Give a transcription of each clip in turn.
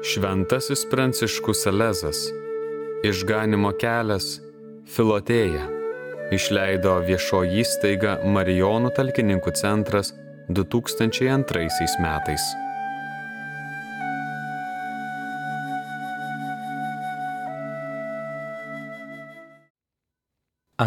Šventasis Pranciškus Salezas, Išganymo kelias, Filotėja, išleido viešoji įstaiga Marijonų talkininkų centras 2002 metais.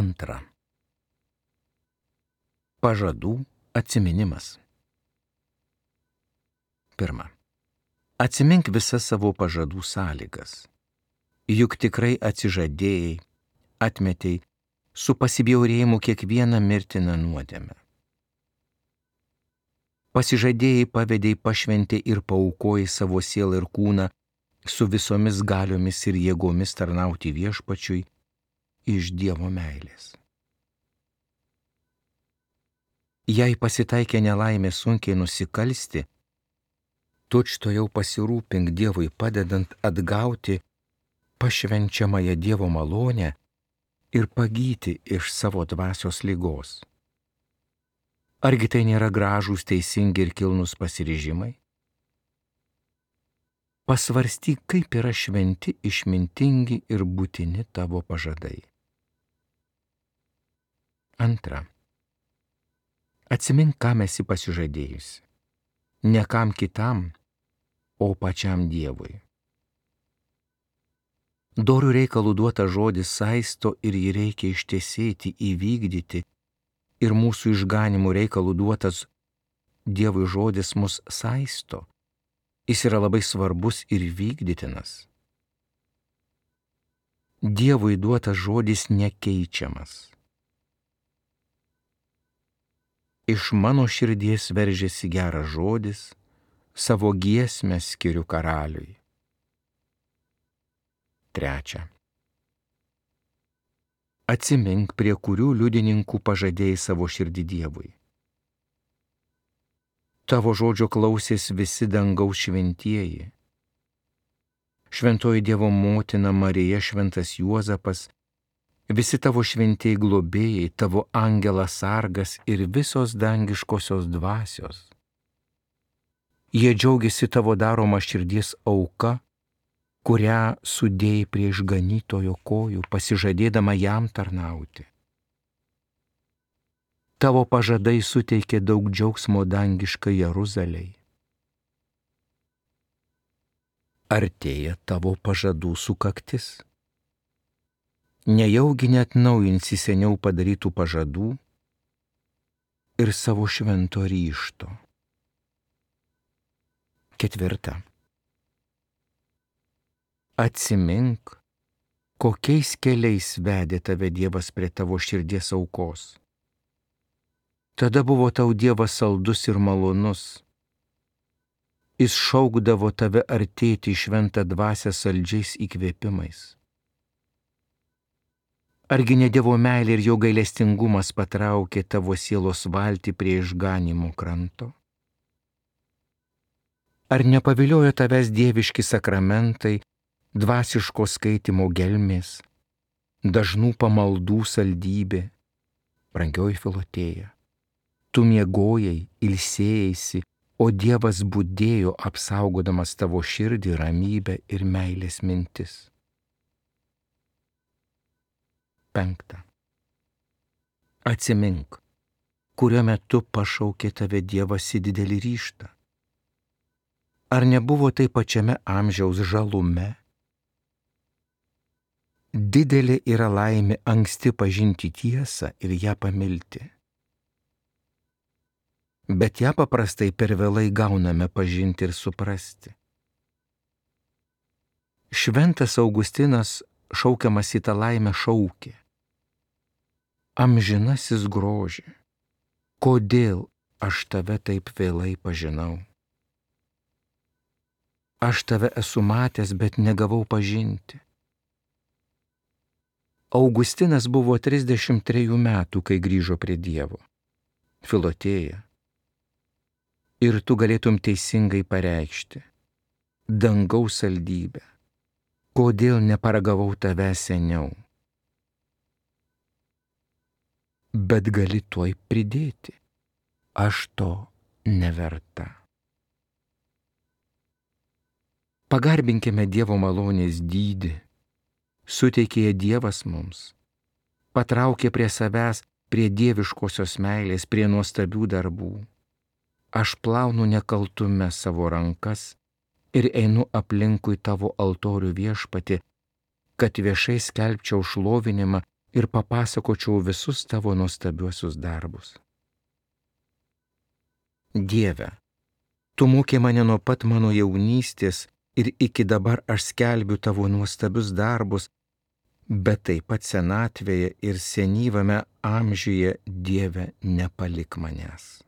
Antra. Pažadų atsiminimas. Pirma. Atsimink visas savo pažadų sąlygas. Juk tikrai atsižadėjai, atmetei su pasibjaurėjimu kiekvieną mirtiną nuodėmę. Pasižadėjai, pavedei, pašventei ir paaukojai savo sielą ir kūną su visomis galiomis ir jėgomis tarnauti Viešpačiui iš Dievo meilės. Jei pasitaikė nelaimė sunkiai nusikalsti, tučtuojau pasirūpink Dievui padedant atgauti pašvenčiamąją Dievo malonę ir pagyti iš savo dvasios ligos. Argi tai nėra gražūs, teisingi ir kilnūs pasiryžimai? Pasvarstyk, kaip yra šventi, išmintingi ir būtini tavo pažadai. Antra. Atsimink, kam esi pasižadėjusi. Ne kam kitam, o pačiam Dievui. Dorių reikalų duota žodis saisto ir jį reikia ištesėti, įvykdyti, ir mūsų išganimų reikalų duotas Dievui žodis mus saisto. Jis yra labai svarbus ir vykdytinas. Dievui duotas žodis nekeičiamas. Iš mano širdies veržiasi geras žodis, savo giesmę skiriu karaliui. Trečia. Atsimink, prie kurių liudininkų pažadėjai savo širdį Dievui. Tavo žodžio klausės visi dangaus šventieji. Šventoji Dievo motina Marija, šventas Juozapas, visi tavo šventieji globėjai, tavo angelas sargas ir visos dangiškosios dvasios. Jie džiaugiasi tavo daroma širdies auka, kurią sudėjai prie išganytojo kojų, pasižadėdama jam tarnauti. Tavo pažadai suteikė daug džiaugsmo dangiškai Jeruzalei. Artėja tavo pažadų sukaktis. Nejaugi neatnaujinsi seniau padarytų pažadų ir savo švento ryžto. Ketvirta. Atsimink, kokiais keliais vedė tave Dievas prie tavo širdies aukos. Tada buvo tau Dievas saldus ir malonus. Jis šaukdavo tave artėti į šventą dvasią saldžiais įkvėpimais. Argi ne Dievo meilė ir jo gailestingumas patraukė tavo sielos valtį prie išganymo kranto? Ar nepaviliojo tavęs dieviški sakramentai, dvasiško skaitimo gelmės, dažnų pamaldų saldybė, brangioji Filotėja? Tu miegojai, ilsėjaisi, o Dievas budėjo apsaugodamas tavo širdį, ramybę ir meilės mintis. Penkta. Atsimink, kuriuo metu pašaukė tave Dievas į didelį ryžtą. Ar nebuvo tai pačiame amžiaus žalume? Didelė yra laimė anksti pažinti tiesą ir ją pamilti. Bet ją paprastai per vėlai gauname pažinti ir suprasti. Šventas Augustinas šaukiamas į tą laimę šaukė: Amžinasis groži, kodėl aš tave taip vėlai pažinau? Aš tave esu matęs, bet negavau pažinti. Augustinas buvo 33 metų, kai grįžo prie Dievo. Filotėja, ir tu galėtum teisingai pareikšti: dangaus saldybę, kodėl neparagavau tave seniau? Bet gali tuoj pridėti: aš to neverta. Pagarbinkime Dievo malonės dydį, suteikė Dievas mums, patraukė prie savęs, prie dieviškosios meilės, prie nuostabių darbų. Aš plaunu nekaltume savo rankas ir einu aplinkui tavo altorių Viešpatie, kad viešai skelbčiau šlovinimą ir papasakočiau visus tavo nuostabiuosius darbus. Dieve, tu mokei mane nuo pat mano jaunystės ir iki dabar aš skelbiu tavo nuostabius darbus, bet taip pat senatvėje ir senyvame amžiuje, Dieve, nepalik manęs.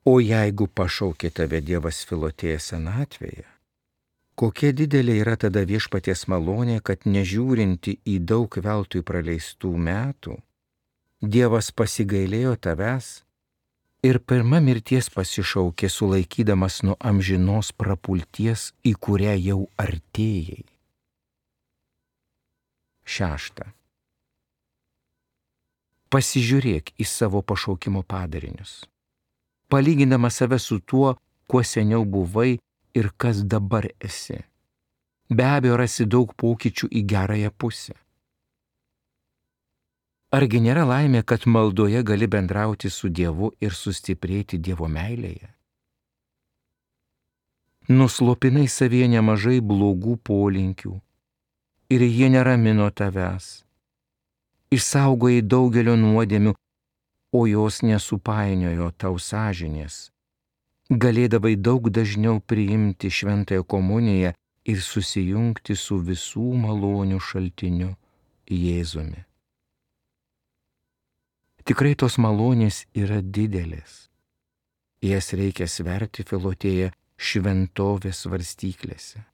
O jeigu pašaukė tave Dievas Filotėja senatvėje, kokia didelė yra tada Viešpaties malonė, kad nežiūrinti į daug veltui praleistų metų, Dievas pasigailėjo tavęs ir pirma mirties pasišaukė, sulaikydamas nuo amžinos prapulties, į kurią jau artėjai. 6. Pasižiūrėk į savo pašaukimo padarinius, palygindamas save su tuo, kuo seniau buvai ir kas dabar esi. Be abejo, rasi daug pokyčių į gerąją pusę. Argi nėra laimė, kad maldoje gali bendrauti su Dievu ir sustiprėti Dievo meilėje? Nuslopinai savyje nemažai blogų polinkių ir jie neramino tavęs. Išsaugojai daugelio nuodėmių, o jos nesupainiojo tau sąžinės. Galėdavai daug dažniau priimti šventąją komuniją ir susijungti su visų malonių šaltiniu Jėzumi. Tikrai tos malonės yra didelės. Jas reikia sverti, Filotėja, šventovės svarstyklėse.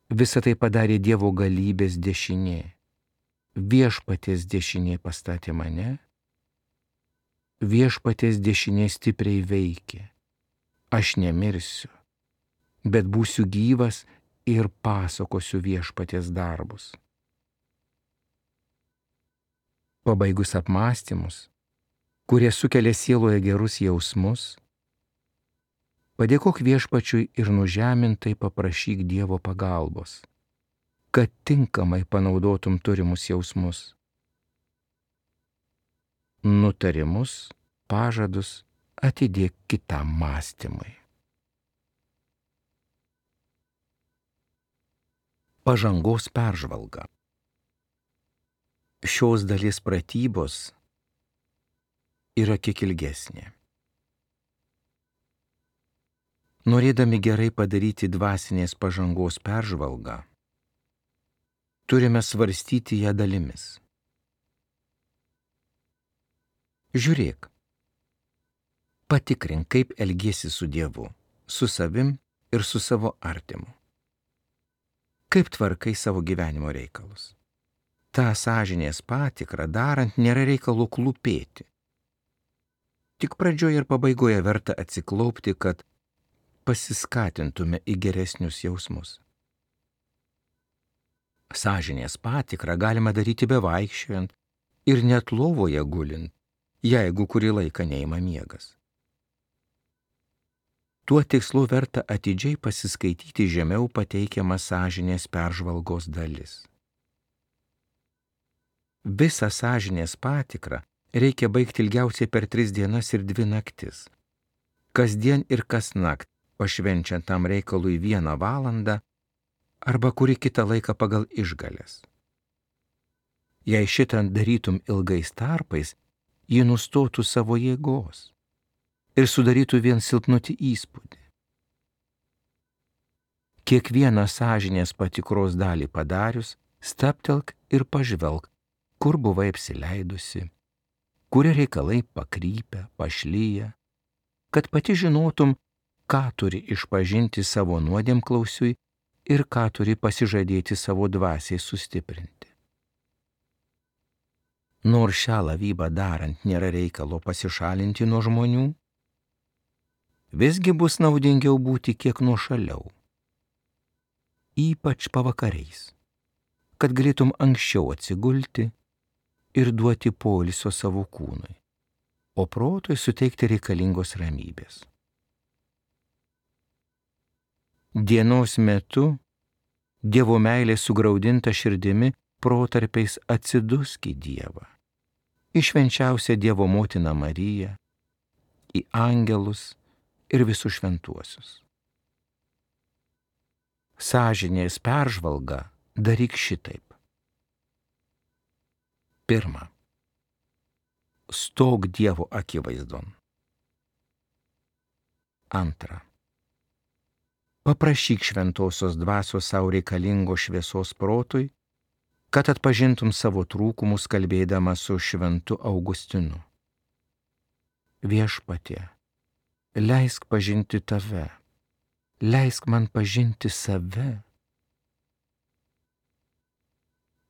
Visą tai padarė Dievo galybės dešinė. Viešpaties dešinė pastatė mane, Viešpaties dešinė stipriai veikė. Aš nemirsiu, bet būsiu gyvas ir pasakosiu Viešpaties darbus. Pabaigus apmąstymus, kurie sukelia sieloje gerus jausmus, padėkok Viešpačiui ir nužemintai paprašyk Dievo pagalbos, kad tinkamai panaudotum turimus jausmus. Nutarimus, pažadus atidėk kitam mąstymui. Pažangos peržvalga. Šios dalies pratybos yra kiek ilgesnė. Norėdami gerai padaryti dvasinės pažangos peržvalgą, turime svarstyti ją dalimis. Žiūrėk, patikrink, kaip elgiesi su Dievu, su savim ir su savo artimu. Kaip tvarkai savo gyvenimo reikalus. Ta sąžinės patikrą darant nėra reikalo klūpėti. Tik pradžioje ir pabaigoje verta atsiklaupti, kad pasiskatintume į geresnius jausmus. Sąžinės patikrą galima daryti bevaikščiojant ir net lovoje gulint, jeigu kurį laiką neima miegas. Tuo tikslu verta atidžiai pasiskaityti žemiau pateikiamą sąžinės peržvalgos dalis. Visą sąžinės patikrą reikia baigti ilgiausiai per 3 dienas ir 2 naktis. Kasdien ir kasnakt, pašvenčiant tam reikalui 1 valandą arba kurį kitą laiką pagal išgales. Jei šitą darytum ilgais tarpais, ji nustotų savo jėgos ir sudarytų vien silpnutį įspūdį. Kiekvieną sąžinės patikros dalį padarius, stabtelk ir pažvelk, kur buvai apsileidusi, kurie reikalai pakrypę, pašlyję, kad pati žinotum, ką turi išpažinti savo nuodėmklausiui ir ką turi pasižadėti savo dvasiai sustiprinti. Nors šią lavybą darant nėra reikalo pasišalinti nuo žmonių, visgi bus naudingiau būti kiek nuošaliau, ypač pavakariais, kad galėtum anksčiau atsigulti ir duoti poilsio savo kūnui, o protui suteikti reikalingos ramybės. Dienos metu Dievo meilė sugraudinta širdimi protarpiais atsidusk į Dievą, į švenčiausią Dievo motiną Mariją, į angelus ir visus šventuosius. Sąžinės peržvalgą daryk šitaip. 1. Stok Dievo akivaizdon. 2. Paprašyk šventosios dvasios sau reikalingo šviesos protui, kad atpažintum savo trūkumus kalbėdama su šventu Augustinu. Viešpatie, leisk pažinti tave, leisk man pažinti save.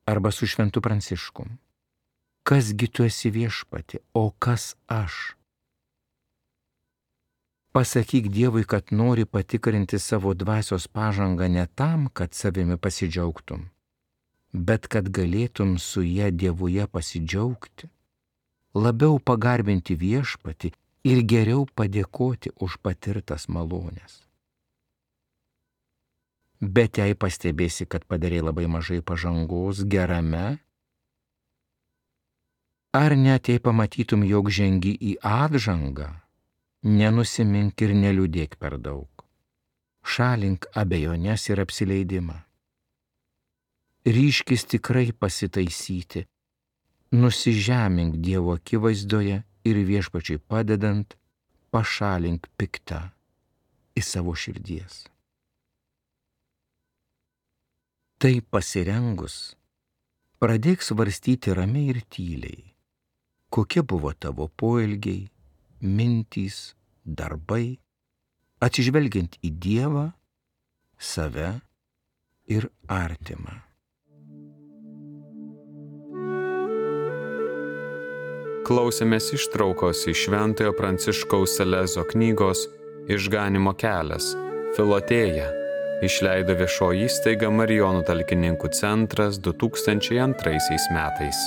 Arba su šventu Pranciškum. Kasgi tu esi viešpatie, o kas aš? Pasakyk Dievui, kad nori patikrinti savo dvasios pažangą ne tam, kad savimi pasidžiaugtum, bet kad galėtum su ja Dievuje pasidžiaugti, labiau pagarbinti viešpatį ir geriau padėkoti už patirtas malonės. Bet jei pastebėsi, kad padarei labai mažai pažangos gerame, ar net jei pamatytum, jog žengi į atžangą, nenusimink ir neliūdėk per daug. Šalink abejonės ir apsileidimą. Ryžkis tikrai pasitaisyti, nusižemink Dievo akivaizdoje ir viešpačiui padedant, pašalink piktą iš savo širdies. Tai pasirengus, pradėk svarstyti ramiai ir tyliai, kokie buvo tavo poelgiai, mintys, darbai, atsižvelgiant į Dievą, save ir artimą. Klausėmės ištraukos iš Šventojo Pranciškaus Salezo knygos Išganymo kelias – Filotėja. Išleido viešoji įstaiga Marijonų talkininkų centras 2002 metais.